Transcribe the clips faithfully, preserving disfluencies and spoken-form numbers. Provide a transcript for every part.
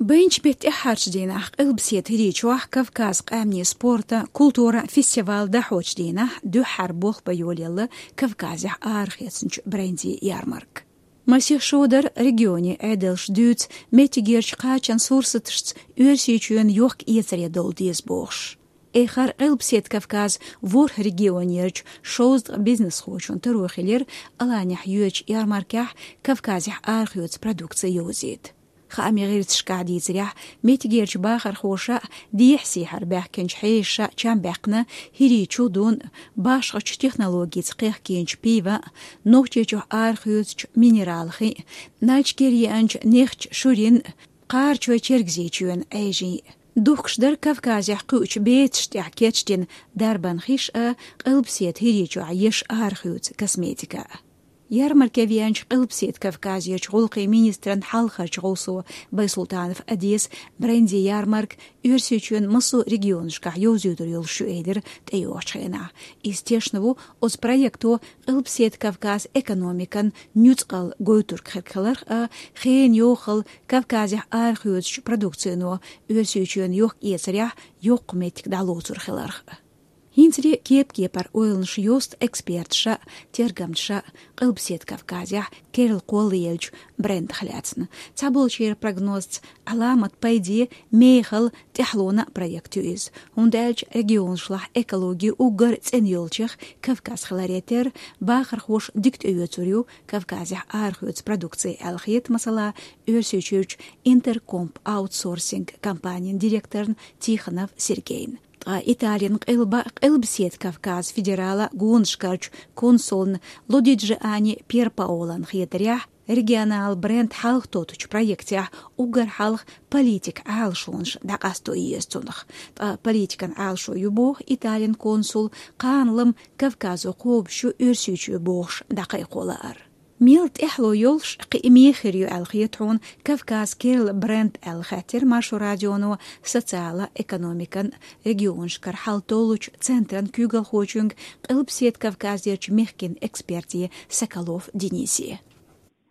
Бенч беттӀехьарчу дийнахь Къилбаседа ХӀирийчохь Кавказ къаьмнийн спорта, культура фестиваль дӀахьочу дийнахь дуьххьара болх бан йолаелла Кавказехь арахецначу брендийн ярмарка. Масех шо дара регионийн Ӏедалш дуьйцу меттигерчу кхачан сурсаташца Оьрсийчоьнан йохк-эцаре довла деза бохуш. Эххар Къилбаседа Кавказ ворхӀ регионерчу шовзткъа бизнесхочун таро хилира Аланехь йоьдучу ярмаркехь Кавказехь арахоьцу продукци йовзийта. Хаамийн гӀирсашкахь дийцарехь, меттигерчу бахархоша дехьа-сехьара баьхкинчу хьешаша чам баьккхина ХӀирийчу дун, башхачу технологица кхехкийначу пива, Нохчийчохь арахоьцучу минерал хин, Нальчикера еанчу нехча шурин, Кхарачой-Чергазийчоьнан Ӏежин. Духкуш дара Кавказехь кхуьучу бецаш тӀехь кечдина дарбан хиш а, Къилбаседа ХӀирийчохь еш арахоьцу косметика а. Ярмарке веанчу Къилбаседа Кавказерчу гӀуллакхийн министран хьалхарчу гӀовсо Байсултанов Одес брендийн ярмарка Оьрсийчоьнан массо а регионашкахь йовзуьйтур йолуш ю элира тӀейогӀучу хенахь. Иза тешна ву оцу проекто Къилбаседа Кавказ экономикан нуьцкъала гойтург хирг хиларх а, хенан йохалла Кавказехь арахоьцучу продукцино Оьрсийчоьнан йохк-эцарехь йоккха меттиг дӀалоцур хиларх а. ХӀинцале кеп-кепара ойланаш йосту эксперташа, тергамчаша Къилбаседа Кавказехь керла кхоллаеллачу брендах лаьцна. Цхьаболчеран прогнозца, Ӏаламат пайде, мехала, тӀаьхьалонан проект ю иза, хӀунда аьлча регионашлахь экологи уггар цӀена йолчех Кавказ хиларе терра, бахархоша дика тӀеоьцур ю Кавказехь арахоьцу продукци аьлла хета, масала, Оьрсийчуьрчу Интеркомп аутсорсинг компанин директорна Тихонов Сергейна. Ткъа Италин къилба Къилбаседа Кавказ федералан гонашкарчу консулна Лодиджиани Пьерпаолона хетарехь, регионал бренд хьалхатоттучу проектехь уггар хьалха политикан Ӏалашонаш дӀакъасто еза цунах. Ткъа политикан Ӏалашо ю боху Италин консула, кхана-лама Кавказо кхобуш ю Оьрсийчоь бохуш дӀакхайкхо лаар. Мел тӀаьхьало йолуш кхин мехира ю аьлла хета хьуна Кавказ керла бренд аьлла хаьттира Маршо радионо социалан, экономикан, регионашкара хьалтоллучу центран куьйгалхочуьнга, Къилбаседа Кавказерчу мехкан эксперте Соколов Денисе.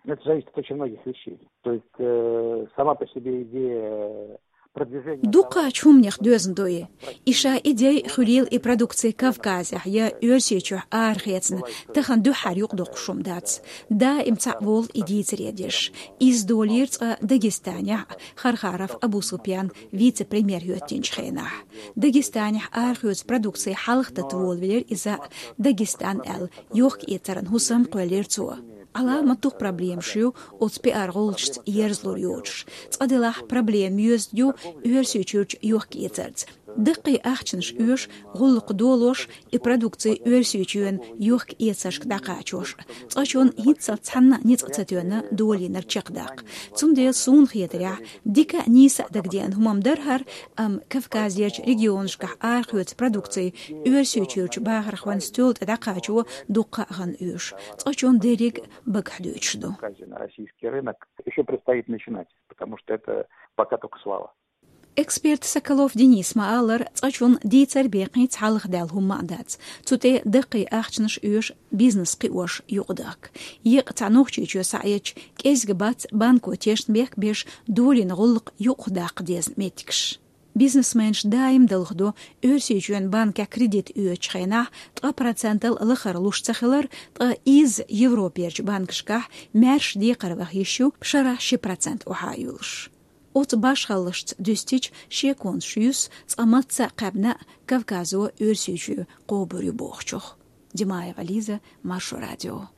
Это зависит от очень многих вещей. То есть э, сама по себе идея продвижения... Дуккхачу хӀуманех доьзна ду и. И ша идея хуьлийла и продукция Кавказехь я Оьрсийчохь арахецна, тахана дуьххьара юкъадоккхуш хӀума дац. Даим цхьаъ волу и дийцаре деш. Иза долийра цкъа Дагестанехь Хархаров Абусупьян вице-премьер хӀоьттинчу хенахь. Дагестанехь арахоьцу продукция хьалхатата волавелира иза, Дагестан аьлла, йохк-эцаран хӀусам кхоьллира цо. Ӏаламат дукха проблемаш ю оцу пиар-гӀулчашца ерзалур йоцуш. Цкъа делахь, проблема йоьзна ю Оьрсийчуьрчу йохк-эцарца. Даккхий ахчанаш оьшу гӀуллакх долош, и продукция Оьрсийчоьнан йохк-эцаршка дӀакхачош. Цкъачунна хӀинццалц цхьанна а ницкъ ца тоьна долийнарг чекхдаккха. Цундела суна хетарехь, дика а, нийса а дагадеана хӀума-м дара хӀара, амма Кавказерчу регионашкахь арахоьцу продукция Оьрсийчуьрчу бахархойн стоьла тӀе дӀакхачо дуккха а хан оьшу. Цкъачунна дерриг а багахь дуьйцуш ду. Российский рынок еще предстоит начинать, потому что это пока только слава. Эксперта Соколов Дениса ма-аллара, цкъачунна дийцар бекхийца хьалхадаьлла хӀумма а дац. Цу тӀе даккхий ахчанаш оьшу бизнес кхиош юкъадахка. Екъа цхьа Нохчийчоь схьаэцча, кӀезиг бац банко тешнабехк беш долийна гӀуллакх юкъахдаккха дезна меттигаш. Бизнесменаш даим далхадо Оьрсийчоьнан банкехь кредит оьцучу хенахь ткъа процентал лахара луш ца хилар, ткъа иза Европерчу банкашкахь маьрша декхарваха йиш ю, шарахь ши процент охьа а йолуш. Оцу башхаллашца дуьстича, шеконаш юьсу цкъа мацца а кхаьбна а Кавказо Оьрсийчоь кхобур ю бохучух. Димаева Лиза, Маршо радио.